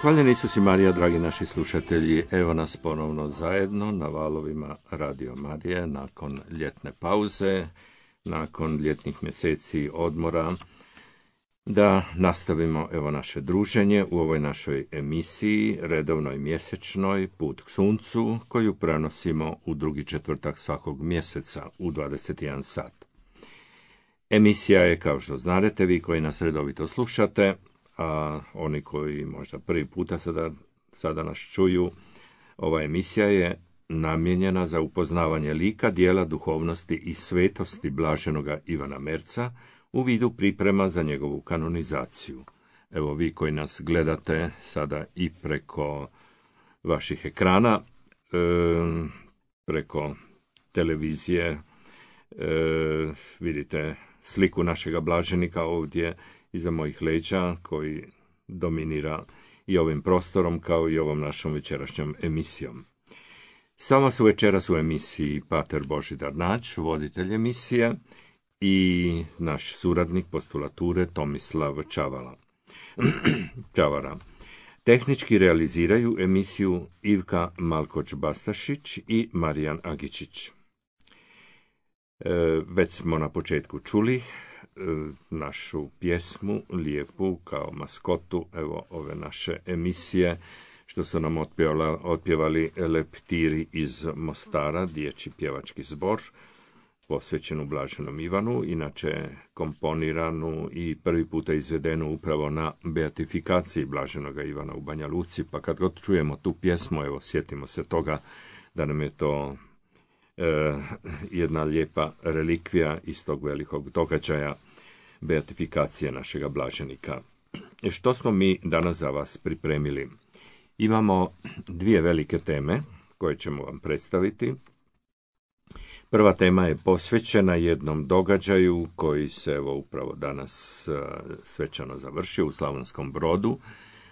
Hvaljeni Isus i Marija, dragi naši slušatelji, evo nas ponovno zajedno na valovima Radio Marije nakon ljetne pauze, nakon ljetnih mjeseci odmora, da nastavimo evo naše druženje u ovoj našoj emisiji, redovnoj mjesečnoj Put k suncu, koju prenosimo u drugi četvrtak svakog mjeseca u 21 sat. Emisija je, kao što znate, vi koji nas redovito slušate, a oni koji možda prvi puta sada nas čuju, ova emisija je namijenjena za upoznavanje lika, dijela, duhovnosti i svetosti blaženoga Ivana Merca u vidu priprema za njegovu kanonizaciju. Evo vi koji nas gledate sada i preko vaših ekrana, preko televizije, vidite sliku našega blaženika ovdje iza mojih leđa, koji dominira i ovim prostorom kao i ovom našom večerašnjom emisijom. Sama su večeras u emisiji Pater Božidar Nađ, voditelj emisije, i naš suradnik postulature Tomislav Čavara. Tehnički realiziraju emisiju Ivka Malkoč-Bastašić i Marijan Agičić. Već smo na početku čuli našu pjesmu lijepu kao maskotu evo ove naše emisije, što su nam otpjevali Leptiri iz Mostara, dječji pjevački zbor posvećenu blaženom Ivanu, inače komponiranu i prvi puta izvedenu upravo na beatifikaciji blaženoga Ivana u Banja Luci, pa kad god čujemo tu pjesmu, evo sjetimo se toga da nam je to jedna lijepa relikvija iz tog velikog događaja beatifikacije našega blaženika. Što smo mi danas za vas pripremili? Imamo dvije velike teme koje ćemo vam predstaviti. Prva tema je posvećena jednom događaju koji se evo upravo danas svečano završio u Slavonskom Brodu,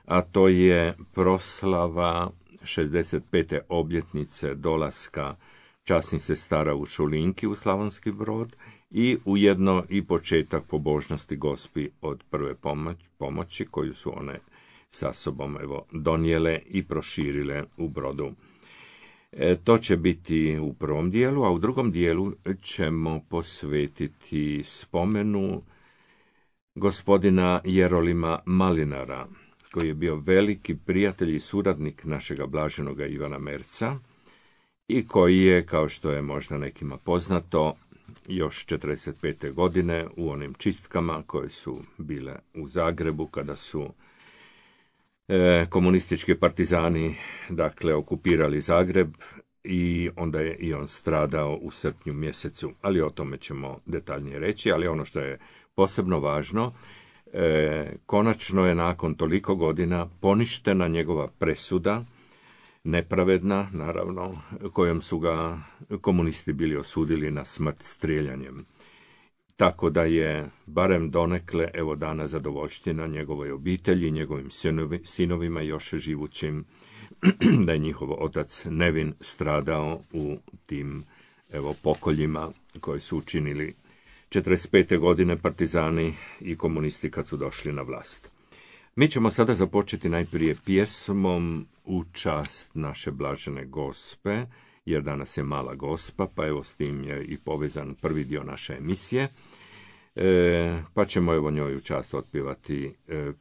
a to je proslava 65. obljetnice dolaska časnih sestara u Šulinki u Slavonski Brod i ujedno i početak pobožnosti Gospi od prve pomoći koju su one sa sobom evo donijele i proširile u Brodu. To će biti u prvom dijelu, a u drugom dijelu ćemo posvetiti spomenu gospodina Jerolima Malinara, koji je bio veliki prijatelj i suradnik našega blaženoga Ivana Merca i koji je, kao što je možda nekima poznato, još 45. godine u onim čistkama koje su bile u Zagrebu, kada su komunistički partizani okupirali Zagreb, i onda je i on stradao u srpnju mjesecu, ali o tome ćemo detaljnije reći. Ali ono što je posebno važno, konačno je nakon toliko godina poništena njegova presuda, nepravedna, naravno, kojom su ga komunisti bili osudili na smrt strijeljanjem. Tako da je barem donekle evo dana zadovoljština njegovoj obitelji, njegovim sinovima još živućim, da je njihov otac Nevin stradao u tim evo pokoljima koji su učinili 45. godine partizani i komunisti kad su došli na vlast. Mi ćemo sada započeti najprije pjesmom u čast naše blažene Gospe, jer danas je mala Gospa, pa evo s tim je i povezan prvi dio naše emisije. Pa ćemo evo njoj u čast otpjevati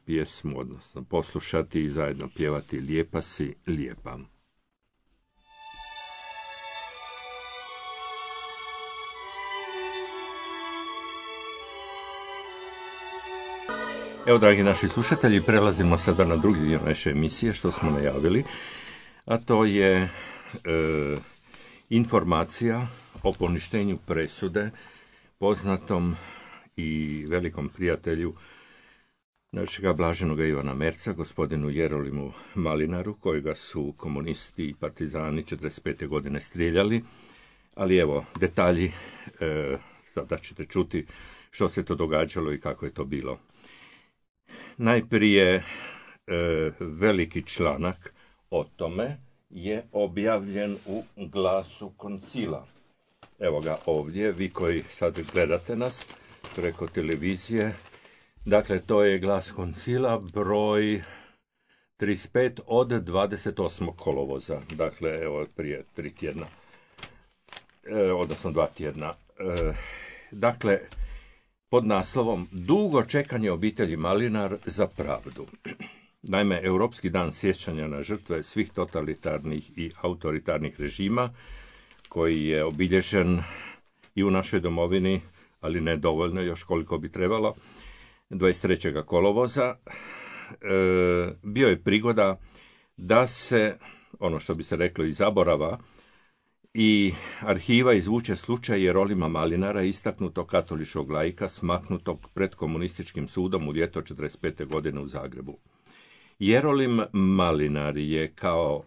pjesmu, odnosno poslušati i zajedno pjevati Lijepa si, lijepa. Evo, dragi naši slušatelji, prelazimo sada na drugi dio naše emisije, što smo najavili, a to je informacija o poništenju presude poznatom i velikom prijatelju našega blaženoga Ivana Merca, gospodinu Jerolimu Malinaru, kojega su komunisti i partizani 45. godine strijeljali. Ali evo, detalji, sada ćete čuti što se to događalo i kako je to bilo. Najprije veliki članak o tome je objavljen u Glasu koncila. Evo ga ovdje, vi koji sad gledate nas preko televizije. Dakle, to je Glas koncila broj 35 od 28. kolovoza, dakle, evo, prije 3 tjedna, odnosno 2 tjedna. Dakle, pod naslovom Dugo čekanje obitelji Malinar za pravdu. Naime, Europski dan sjećanja na žrtve svih totalitarnih i autoritarnih režima, koji je obilježen i u našoj domovini, ali ne dovoljno još koliko bi trebalo, 23. kolovoza, bio je prigoda da se, ono što bi se reklo iz zaborava, i arhiva izvuče slučaj Jerolima Malinara, istaknutog katoličkog laika, smaknutog pred komunističkim sudom u ljeto 1945. godine u Zagrebu. Jerolim Malinar je kao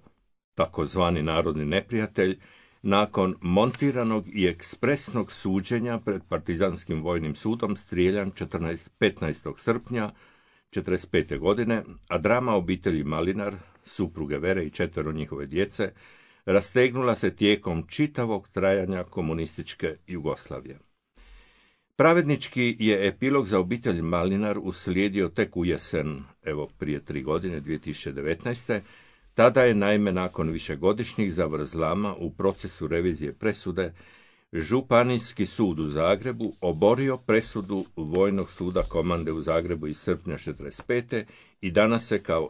takozvani narodni neprijatelj nakon montiranog i ekspresnog suđenja pred partizanskim vojnim sudom strijeljan 15. srpnja 1945. godine, a drama obitelji Malinar, supruge Vere i 4 njihove djece, rastegnula se tijekom čitavog trajanja komunističke Jugoslavije. Pravednički je epilog za obitelj Malinar uslijedio tek u jesen, evo prije 3 godine, 2019. Tada je naime nakon višegodišnjih zavrzlama u procesu revizije presude Županijski sud u Zagrebu oborio presudu Vojnog suda komande u Zagrebu iz srpnja 1945. i danas se kao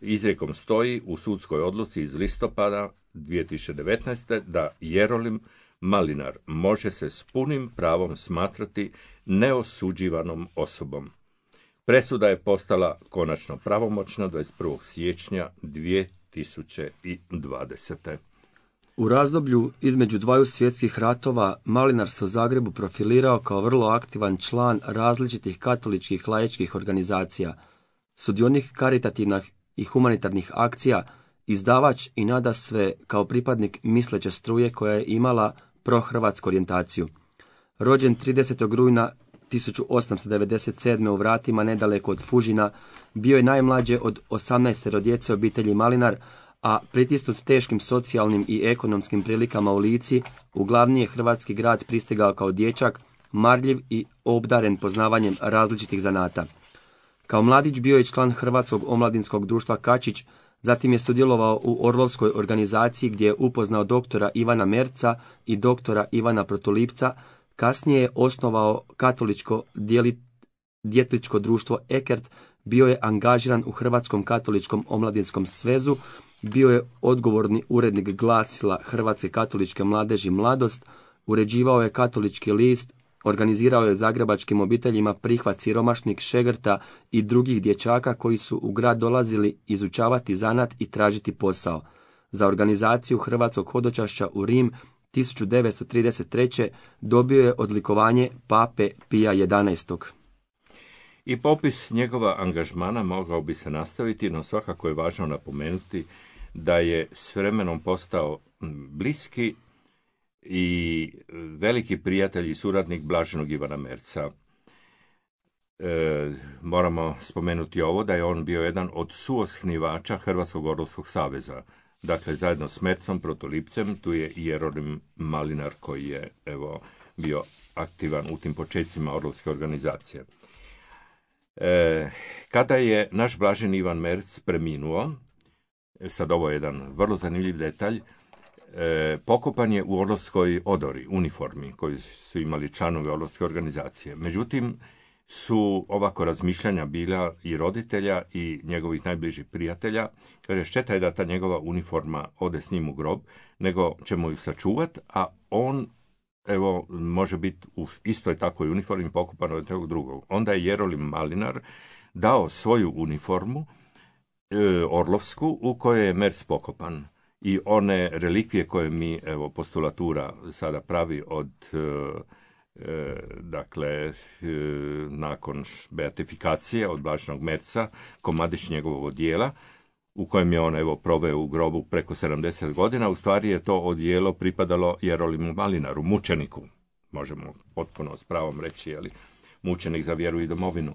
izrijekom stoji u sudskoj odluci iz listopada 2019. da Jerolim Malinar može se s punim pravom smatrati neosuđivanom osobom. Presuda je postala konačno pravomoćna 21. siječnja 2020. U razdoblju između dvaju svjetskih ratova Malinar se u Zagrebu profilirao kao vrlo aktivan član različitih katoličkih laičkih organizacija, sudionik karitativnih i humanitarnih akcija, izdavač i nadasve kao pripadnik misleće struje koja je imala prohrvatsku orijentaciju. Rođen 30. rujna 1897. u Vratima nedaleko od Fužina, bio je najmlađe od 18 djece obitelji Malinar, a pritisnut teškim socijalnim i ekonomskim prilikama u Lici, u glavni je hrvatski grad pristigao kao dječak, marljiv i obdaren poznavanjem različitih zanata. Kao mladić bio je član Hrvatskog omladinskog društva Kačić, zatim je sudjelovao u Orlovskoj organizaciji gdje je upoznao doktora Ivana Merca i doktora Ivana Protulipca. Kasnije je osnovao katoličko djetličko društvo Ekert, bio je angažiran u Hrvatskom katoličkom omladinskom svezu, bio je odgovorni urednik glasila Hrvatske katoličke mladeži Mladost, uređivao je katolički list, organizirao je zagrebačkim obiteljima prihvat siromašnih šegrta i drugih dječaka koji su u grad dolazili izučavati zanat i tražiti posao. Za organizaciju hrvatskog hodočašća u Rim 1933. dobio je odlikovanje Pape Pija XI. I popis njegova angažmana mogao bi se nastaviti, no svakako je važno napomenuti da je s vremenom postao bliski i veliki prijatelj i suradnik blaženog Ivana Merca. Moramo spomenuti ovo da je on bio jedan od suosnivača Hrvatskog orlovskog saveza. Dakle, zajedno s Mercom, Protolipcem, tu je i Jerolim Malinar koji je bio aktivan u tim početcima orlovske organizacije. Kada je naš blaženi Ivan Merc preminuo, sad ovo je jedan vrlo zanimljiv detalj, pokopan je u orlovskoj odori, uniformi koju su imali članovi orlovske organizacije. Međutim, su ovako razmišljanja bila i roditelja i njegovih najbližih prijatelja. Kaže, šteta je da ta njegova uniforma ode s njim u grob, nego ćemo ju sačuvati, a on može biti u istoj takvoj uniformi pokopan od tog drugog. Onda je Jerolim Malinar dao svoju uniformu orlovsku u kojoj je Merc pokopan. I one relikvije koje mi, postulatura sada pravi od nakon beatifikacije od blaženog Merca, komadić njegovog odijela, u kojem je on proveo u grobu preko 70 godina, u stvari je to odijelo pripadalo Jerolimu Malinaru, mučeniku. Možemo potpuno s pravom reći, mučenik za vjeru i domovinu.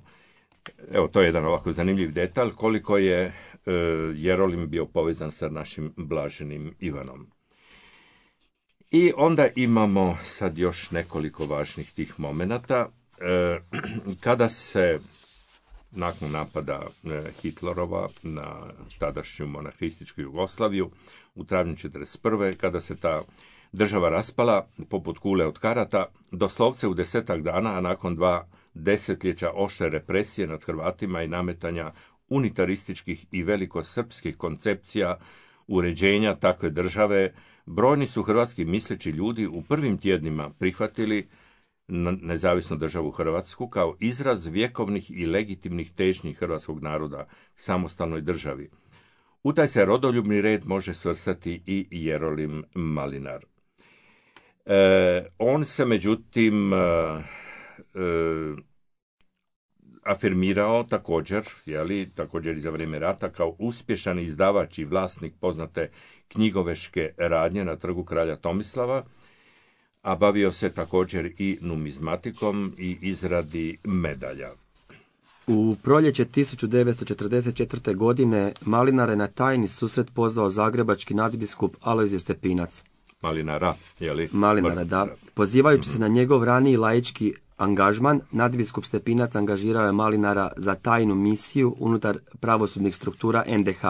Evo, to je jedan ovako zanimljiv detalj, koliko je Jerolim bio povezan sa našim blaženim Ivanom. I onda imamo sad još nekoliko važnih tih momenata. Kada se nakon napada Hitlerova na tadašnju monarhističku Jugoslaviju u travnju 1941. kada se ta država raspala poput kule od karata, doslovce u 10 dana, a nakon 2 desetljeća oštre represije nad Hrvatima i nametanja unitarističkih i velikosrpskih koncepcija uređenja takve države, brojni su hrvatski misleći ljudi u prvim tjednima prihvatili nezavisnu državu Hrvatsku kao izraz vjekovnih i legitimnih težnji hrvatskog naroda k samostalnoj državi. U taj se rodoljubni red može svrstati i Jerolim Malinar. On se međutim afirmirao također i za vrijeme rata kao uspješan izdavač i vlasnik poznate knjigoveške radnje na Trgu kralja Tomislava, a bavio se također i numizmatikom i izradi medalja. U proljeće 1944. godine Malinar je na tajni susret pozvao zagrebački nadbiskup Alojzije Stepinac. Malinara, da. Pozivajući se na njegov raniji laički angažman, nadbiskup Stepinac angažirao je Malinara za tajnu misiju unutar pravosudnih struktura NDH.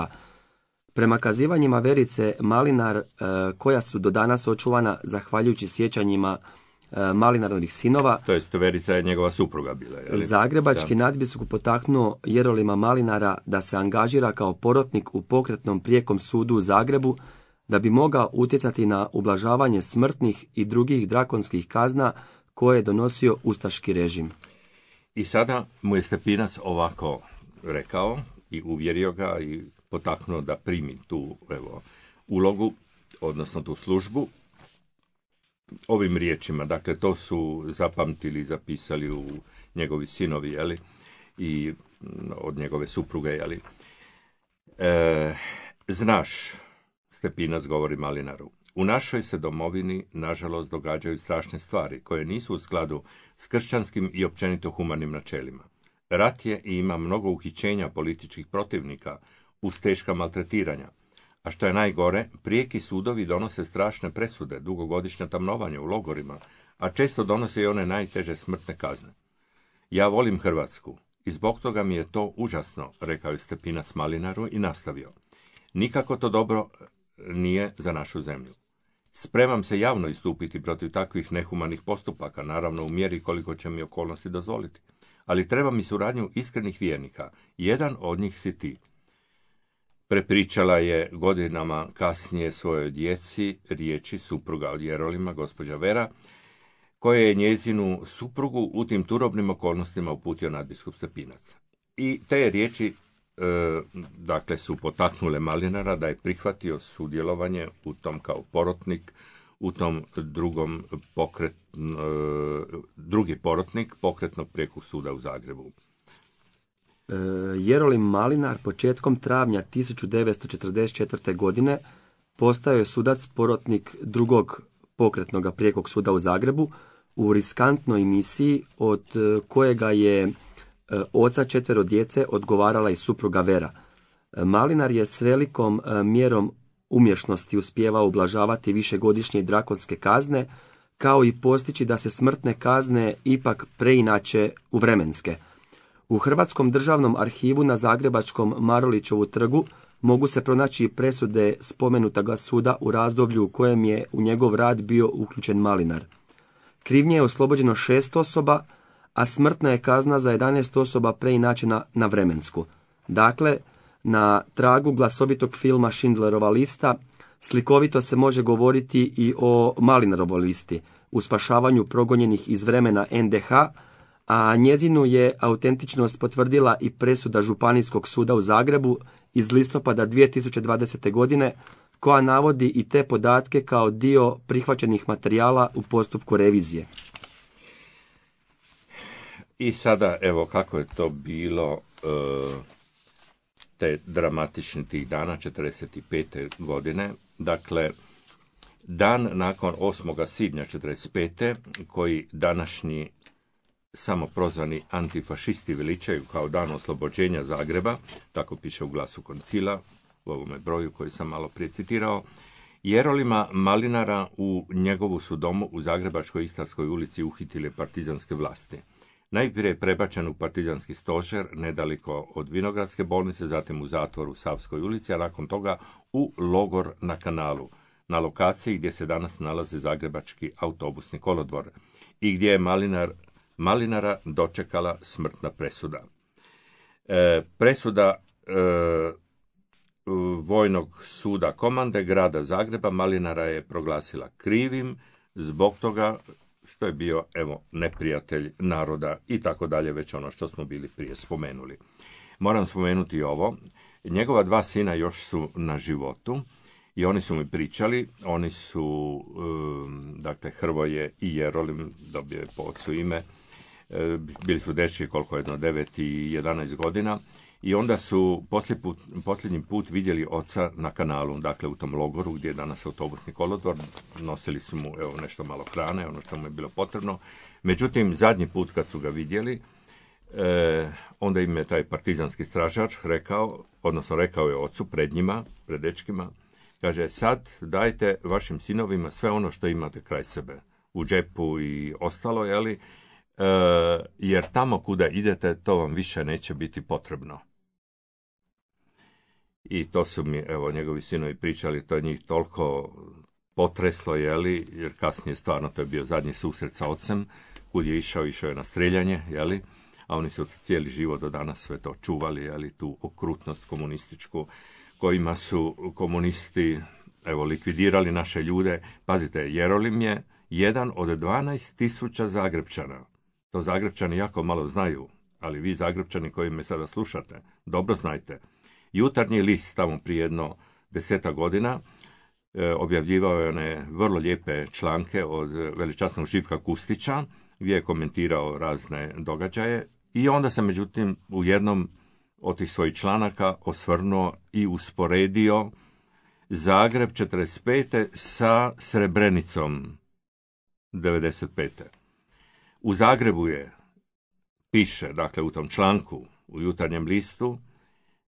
Prema kazivanjima Verice Malinar, koja su do danas očuvana zahvaljujući sjećanjima Malinarovih sinova, to jest Verica je njegova supruga bila. Zagrebački nadbiskup potaknuo Jerolima Malinara da se angažira kao porotnik u pokretnom prijekom sudu u Zagrebu, da bi mogao utjecati na ublažavanje smrtnih i drugih drakonskih kazna koje je donosio ustaški režim. I sada mu je Stepinac ovako rekao i uvjerio ga i potaknuo da primi tu ulogu, odnosno tu službu, ovim riječima. Dakle, to su zapamtili i zapisali u njegovi sinovi, i od njegove supruge, Znaš, Stepinac govori Malinaru, u našoj se domovini, nažalost, događaju strašne stvari koje nisu u skladu s kršćanskim i općenito humanim načelima. Rat je i ima mnogo uhićenja političkih protivnika uz teška maltretiranja. A što je najgore, prijeki sudovi donose strašne presude, dugogodišnja tamnovanja u logorima, a često donose i one najteže smrtne kazne. Ja volim Hrvatsku i zbog toga mi je to užasno, rekao je Stepinac Malinaru i nastavio. Nikako to dobro nije za našu zemlju. Spremam se javno istupiti protiv takvih nehumanih postupaka, naravno u mjeri koliko će mi okolnosti dozvoliti. Ali treba mi suradnju iskrenih vjernika. Jedan od njih si ti. Prepričala je godinama kasnije svojoj djeci riječi supruga od Jerolima, gospođa Vera, koje je njezinu suprugu u tim turobnim okolnostima uputio nadbiskup Stepinac. I te riječi su potaknule Malinara da je prihvatio sudjelovanje u tom kao porotnik, u tom drugi porotnik pokretnog prijekog suda u Zagrebu. Jerolim Malinar početkom travnja 1944. godine postao je sudac porotnik drugog pokretnog prijekog suda u Zagrebu u riskantnoj misiji od kojega je oca 4 djece odgovarala i supruga Vera. Malinar je s velikom mjerom umješnosti uspijevao ublažavati višegodišnje drakonske kazne, kao i postići da se smrtne kazne ipak preinače u vremenske. U Hrvatskom državnom arhivu na Zagrebačkom Marulićevu trgu mogu se pronaći presude spomenutog suda u razdoblju u kojem je u njegov rad bio uključen Malinar. Krivnje je oslobođeno 6 osoba, a smrtna je kazna za 11 osoba preinačena na vremensku. Dakle, na tragu glasovitog filma Schindlerova lista, slikovito se može govoriti i o Malinarovoj listi, u spašavanju progonjenih iz vremena NDH, a njezinu je autentičnost potvrdila i presuda Županijskog suda u Zagrebu iz listopada 2020. godine, koja navodi i te podatke kao dio prihvaćenih materijala u postupku revizije. I sada, evo kako je to bilo te dramatični tih dana, 45. godine. Dakle, dan nakon 8. svibnja 45. koji današnji samoprozvani antifašisti veličaju kao dan oslobođenja Zagreba, tako piše u Glasu koncila, u ovome broju koji sam malo prije citirao, Jerolima Malinara u njegovu su domu u Zagrebačkoj Istarskoj ulici uhitile partizanske vlasti. Najprije je prebačen u partizanski stožer nedaleko od Vinogradske bolnice, zatim u zatvor u Savskoj ulici, a nakon toga u logor na Kanalu, na lokaciji gdje se danas nalazi Zagrebački autobusni kolodvor i gdje je Malinara dočekala smrtna presuda. Presuda Vojnog suda komande grada Zagreba Malinara je proglasila krivim zbog toga što je bio, neprijatelj naroda i tako dalje, već ono što smo bili prije spomenuli. Moram spomenuti ovo. Njegova 2 sina još su na životu i oni su mi pričali, oni su, Hrvoje i Jerolim, dobio je po ocu ime, bili su dečki koliko jedno 9 i 11 godina i onda su posljednji put vidjeli oca na Kanalu, dakle u tom logoru gdje je danas autobusni kolodvor, nosili su mu nešto malo hrane, ono što mu je bilo potrebno. Međutim, zadnji put kad su ga vidjeli, onda im je taj partizanski stražač rekao je ocu pred njima, pred dečkima, kaže, sad dajte vašim sinovima sve ono što imate kraj sebe, u džepu i ostalo, jer tamo kuda idete, to vam više neće biti potrebno. I to su mi, njegovi sinovi pričali, to je njih toliko potreslo, jer kasnije stvarno to je bio zadnji susret sa ocem, kud je išao je na streljanje, a oni su cijeli život do danas sve to čuvali, tu okrutnost komunističku, kojima su komunisti, likvidirali naše ljude. Pazite, Jerolim je jedan od 12.000 Zagrepčana. To Zagrepčani jako malo znaju, ali vi Zagrepčani koji me sada slušate, dobro znajte. Jutarnji list tamo prije jedno 10 godina objavljivao je one vrlo lijepe članke od veličasnog Živka Kustića, gdje je komentirao razne događaje i onda se međutim u jednom od tih svojih članaka osvrnuo i usporedio Zagreb 45. sa Srebrenicom 95. U Zagrebu piše, dakle u tom članku u Jutarnjem listu,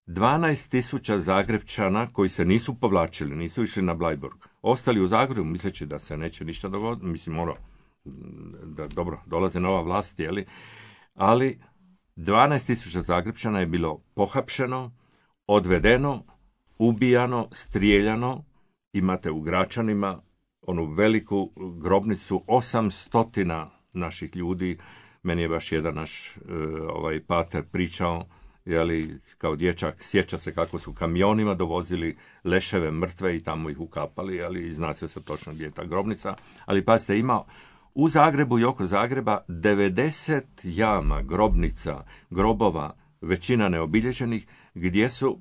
12.000 Zagrebčana koji se nisu povlačili, nisu išli na Bleiburg, ostali u Zagrebu misleći da se neće ništa dogoditi, da dobro, dolaze nova vlast, ali 12.000 Zagrebčana je bilo pohapšeno, odvedeno, ubijano, strijeljano. Imate u Gračanima onu veliku grobnicu 800 naših ljudi. Meni je baš jedan naš pater pričao, kao dječak, sjeća se kako su kamionima dovozili leševe mrtve i tamo ih ukapali, i zna se točno gdje je ta grobnica. Ali pazite, ima u Zagrebu i oko Zagreba 90 jama, grobnica, grobova, većina neobilježenih, gdje su,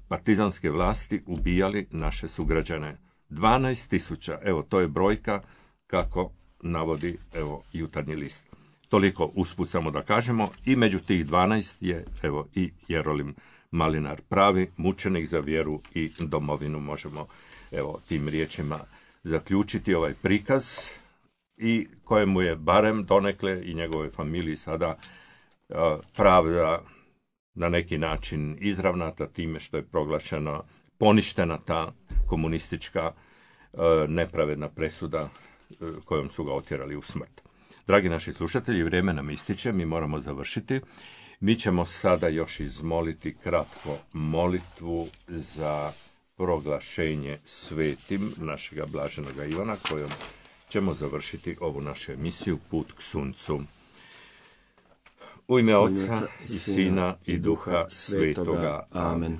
partizanske vlasti ubijali naše sugrađane. 12.000, to je brojka kako navodi, Jutarnji list. Toliko usput samo da kažemo, i među tih 12 je, i Jerolim Malinar, pravi mučenik za vjeru i domovinu, možemo, tim riječima zaključiti ovaj prikaz, i kojemu je barem donekle i njegove familiji sada pravda na neki način izravnata time što je proglašena, poništena ta komunistička nepravedna presuda kojom su ga otjerali u smrt. Dragi naši slušatelji, vrijeme nam ističe, mi moramo završiti. Mi ćemo sada još izmoliti kratko molitvu za proglašenje svetim našega blaženoga Ivana, kojom ćemo završiti ovu našu emisiju Put k suncu. U ime Oca i Sina i Duha Svetoga. Amen.